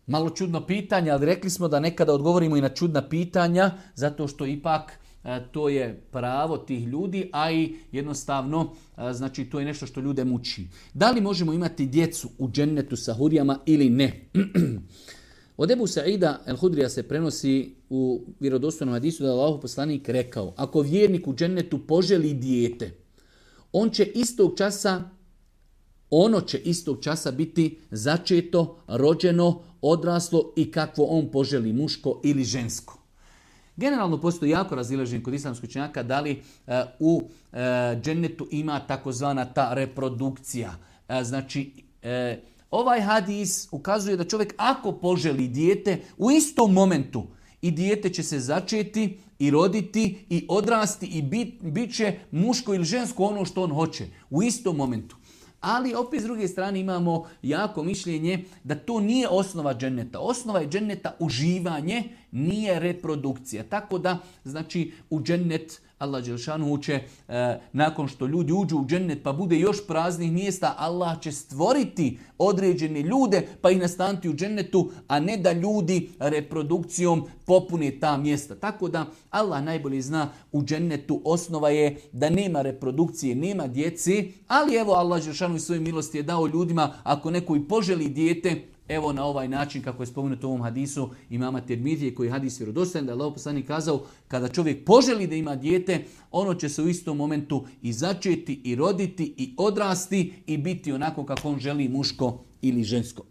Malo čudno pitanje, ali rekli smo da nekada odgovorimo i na čudna pitanja, zato što ipak to je pravo tih ljudi, a i jednostavno, znači to je nešto što ljude muči. Da li možemo imati djecu u džennetu sa hurijama ili ne? Od Ebu Sa'ida el-Hudrija se prenosi u vjerodostojnom hadisu da je Allahov poslanik rekao: ako vjernik u džennetu poželi dijete, ono će istog časa biti začeto, rođeno, odraslo i kakvo on poželi, muško ili žensko. Generalno postoji jako razilaženje kod islamskih učenjaka da li u džennetu ima takozvana ta reprodukcija. Znači, ovaj hadis ukazuje da čovjek ako poželi dijete u istom momentu i dijete će se začeti i roditi i odrasti i bit će muško ili žensko ono što on hoće u istom momentu. Ali opet s druge strane imamo jako mišljenje da to nije osnova dženneta. Osnova je dženneta uživanje, nije reprodukcija. Tako da, znači, u džennet Allah dželešanu će, nakon što ljudi uđu u džennet pa bude još praznih mjesta, Allah će stvoriti određene ljude pa ih nastaniti u džennetu, a ne da ljudi reprodukcijom popune ta mjesta. Tako da Allah najbolje zna, u džennetu osnova je da nema reprodukcije, nema djece, ali evo Allah dželešanu svoje milosti je dao ljudima, ako neko i poželi dijete, evo na ovaj način kako je spomenuto u ovom hadisu imama Tirmizije, koji je hadis vjerodostojan, da je Allahov poslanik kazao kada čovjek poželi da ima dijete, ono će se u istom momentu i začeti i roditi i odrasti i biti onako kako on želi, muško ili žensko.